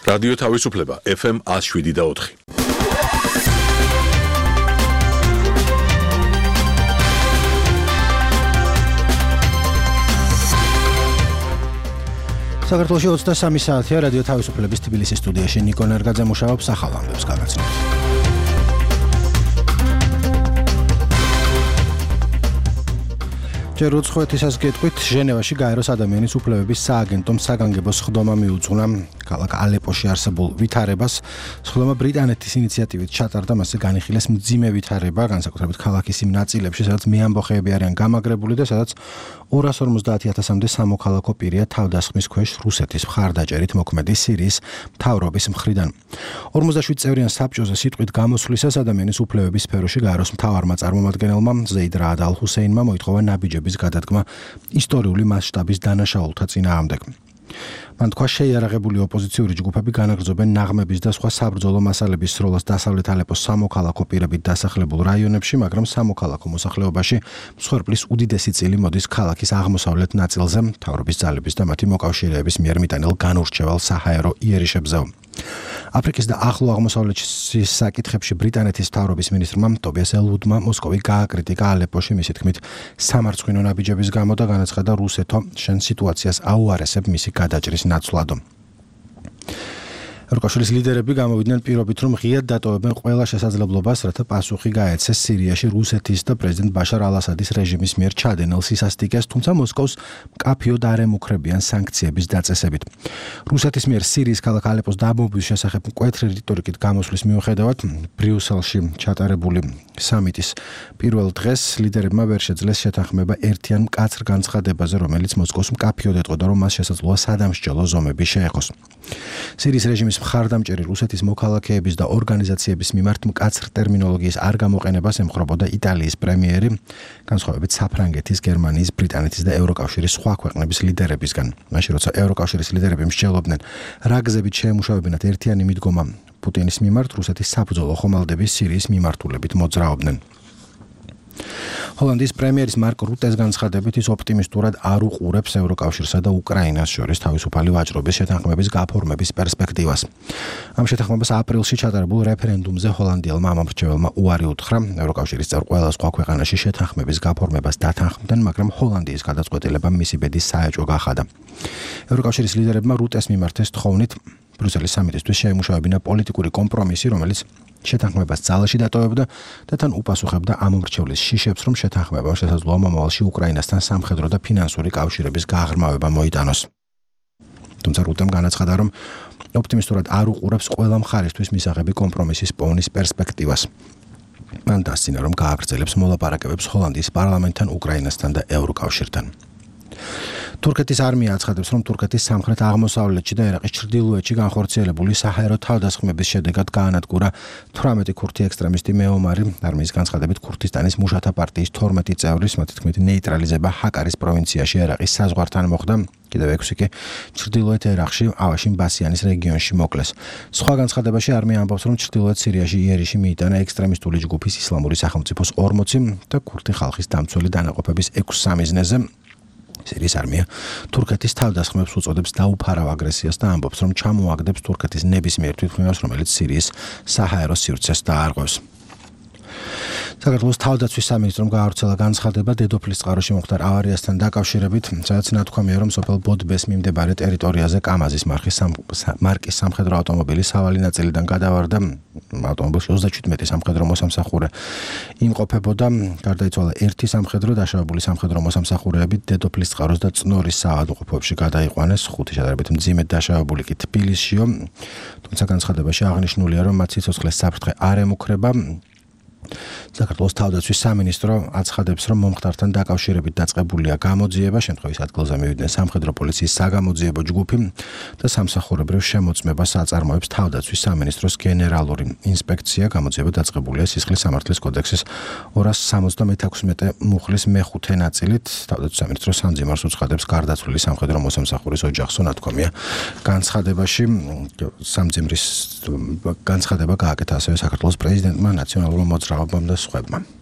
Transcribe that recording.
რადიო თავისუფლება FM 107.4. საქართველოში 23 საათია რადიო თავისუფლების თბილისის სტუდიაში ნიკო ნერგაძე მუშაობს ახალ ამბებს გაგაცნობთ. ჯერ უცხოეთისას გეტყვით, ჟენევაში გაეროს ადამიანის უფლებების სააგენტომ საგანგებო სხდომა მიუძღვნა ქალაქ ალეპოში არსებულ ვითარებას. სხდომა ბრიტანეთის ინიციატივით ჩატარდა, მასზე განიხილეს მძიმე ვითარება, განსაკუთრებით ქალაქის იმ ნაწილებში, სადაც მეამბოხეები არიან გამაგრებული და სადაც 250,000-მდე სამოქალაქო პირია თავდასხმის ქვეშ რუსეთის მხარდაჭერით მოქმედი სირიის მთავრობის მხრიდან. 47 წევრიან საბჭოზე სიტყვით გამოსვლისას ადამიანის უფლებების სფეროში გაეროს მთავარმა წარმომადგენელმა ზეიდ რაად ალ-ჰუსეინმა მოითხოვა ნაბიჯების გადადგმა ისტორიული მასშტაბის დანაშაულთა წინააღმდეგ. მან თქვა, შეიარაღებული ოპოზიციური ჯგუფები განაგრძობენ ნაღმების და სხვა საბრძოლო მასალების სროლას დასავლეთ ალეპოს სამოქალაქო პირებით დასახლებულ რაიონებში, მაგრამ სამოქალაქო მოსახლეობაში მსხვერპლის უდიდესი წილი მოდის ქალაქის აღმოსავლეთ ნაწილზე, მთავრობის ძალების და მათი მოკავშირეების მიერ მიტანილ განურჩევალ საჰაერო იერიშებზე. აფრიკის და ახლო აღმოსავლეთის საკითხებში ბრიტანეთის მთავრობის მინისტრმა ტობიას ელვუდმა მოსკოვი გააკრიტიკა ალეპოში მისი თქმით სამარცხვინო ნაბიჯების გამო და განაცხადა რუსეთო შენ სიტუაციას აუარესებ მისი გადაჭრის ნაცვლად. ევროკავშირის ლიდერები გამოვიდნენ პირობით, რომ ღიად დატოვებენ ყველა შესაძლებლობას, რათა პასუხი გაეცეს სირიაში რუსეთის და პრეზიდენტ ბაშარ ალ-ასადის რეჟიმის მიერ ჩადენილ სისასტიკეს, თუმცა მოსკოვს მკაფიოდ არ ემუქრებიან სანქციების დაწესებით. რუსეთის მიერ სირიის ქალაქ ალეპოს დაბომბვის შესახებ მკვეთრი რიტორიკით გამოსვლის მიუხედავად, ბრიუსელში ჩატარებული სამიტის პირველ დღეს ლიდერებმა ვერ შეძლეს შეთანხმება ერთიან მკაცრ განცხადებაზე, რომელიც მოსკოვს მკაფიოდ ეტყოდა, რომ მას შესაძლოა სადამსჯელო ზომები შეეხოს. სირიის რეჟიმის მხარდამჭერი რუსეთის მოქალაქეების და ორგანიზაციების მიმართ მკაცრ ტერმინოლოგიის არ გამოყენებას ემხრობოდა იტალიის პრემიერი, განსხვავებით საფრანგეთის, გერმანიის, ბრიტანეთის და ევროკავშირის სხვა ქვეყნების ლიდერებისგან. მაშინ როცა ევროკავშირის ლიდერები მსჯელობდნენ, რა გზებით შეემუშავებინათ ერთიანი მიდგომა პუტინის მიმართ, რუსეთის საბრძოლო ხომალდები სირიის მიმართულებით მოძრაობდნენ. ჰოლანდიის პრემიერის მარკ რუტეს განცხადებით ის ოპტიმისტურად არ უყურებს ევროკავშირსა და უკრაინას შორის თავისუფალი ვაჭრობის შეთანხმების გაფორმების პერსპექტივას. ამ შეთანხმებას აპრილში ჩატარებულ რეფერენდუმზე ჰოლანდიელმა ამომრჩეველმა უარი უთხრა. ევროკავშირის წევრ ყველა სხვა ქვეყანაში შეთანხმების გაფორმებას დათანხმდნენ, მაგრამ ჰოლანდიის გადაწყვეტილება მისი ბედის საეჭვო გახადა. ევროკავშირის ლიდერებმა რუტეს მიმართ ეს თხოვნით ბრიუსელის სამიტისთვის შეემუშავებინა პოლიტიკური კომპრომისი, რომელიც შეთანხმებას ძალაში დატოვებდა და თან უპასუხებდა ამომრჩევლის შიშებს, რომ შეთანხმებამ შესაძლოა მომავალში უკრაინასთან სამხედრო და ფინანსური კავშირების გაღრმავება მოიტანოს. თუმცა რუტემ განაცხადა, რომ ოპტიმისტურად არ უყურებს ყველა მხარისთვის მისაღები კომპრომისის პოვნის პერსპექტივას. მან დასცინა, რომ გააგრძელებს მოლაპარაკებებს ჰოლანდიის პარლამენტთან, უკრაინასთან და ევროკავშირთან. თურქეთის არმია აცხადებს, რომ თურქეთის სამხრეთ აღმოსავლეთში და ერაყის ჩრდილოეთში განხორციელებული საჰაერო თავდასხმების შედეგად გაანადგურა 18 ქურთი ექსტრემისტი მეომარი. არმიის განცხადებით, ქურთისტანის მუშათა პარტიის 12 წევრის, მათი თქმით, ნეიტრალიზება ჰაკარის პროვინციაში ერაყის საზღვართან მოხდა. კიდევ 6 კი ჩრდილოეთ ერაყში, ავაშინ ბასიანის რეგიონში მოკლეს. სხვა განცხადებაში არმია ამბობს, რომ ჩრდილოეთ სირიაში იერიში მიიტანა ექსტრემისტული ჯგუფის ისლამური სახელმწიფოს 40 და ქურთი ხალხის დამცველი დანაყოფების 6 სამიზნეზე. სირიის არმია თურქეთის თავდასხმებს უწოდებს დაუფარავ აგრესიას და ამბობს, რომ ჩამოაგდებს თურქეთის ნებისმიერ თვითმფრინავს, რომელიც სირიის საჰაერო სივრცეს დაარღვევს. საქართველოს თავდაცვის სამინისტრომ გაავრცელა განცხადება დედოფლის წყაროში მომხდარ ავარიასთან დაკავშირებით, სადაც ნათქვამია, რომ სოფელ ბოდბეს მიმდებარე ტერიტორიაზე კამაზის მარკის სამხედრო ავტომობილი სავალი ნაწილიდან გადავარდა. ავტომობილში 37 სამხედრო მოსამსახურე იმყოფებოდა. გარდაიცვალა ერთი სამხედრო, დაშავებული სამხედრო მოსამსახურეები დედოფლის წყაროს და წნორის საავადმყოფოებში გადაიყვანეს. 5 შედარებით მძიმედ დაშავებული კი თბილისშიო. თუმცა განცხადებაში აღნიშნულია, რომ მათ სიცოცხლეს საფრთხე არ ემუქრება. საქართველოს თავდაცვის სამინისტრო აცხადებს, რომ მომხდართან დაკავშირებით დაწყებულია გამოძიება, შემთხვევის ადგილზე მივიდნენ სამხედრო პოლიციის საგამოძიებო ჯგუფი და სამსახურებრივ შემოწმებას აწარმოებს თავდაცვის სამინისტროს გენერალური ინსპექცია. გამოძიება დაწყებულია სისხლის სამართლის კოდექსის 276 მუხლის მე-5 ნაწილით. თავდაცვის სამინისტრო სამძიმარს უცხადებს გარდაცვლილი სამხედრო მოსამსახურის ოჯახს, ნათქვამია განცხადებაში. სამძიმრის განცხადება გააკეთა ასევე საქართველოს პრეზიდენტმა, ნაციონალურმა მოძრაობამ და სხვებმა.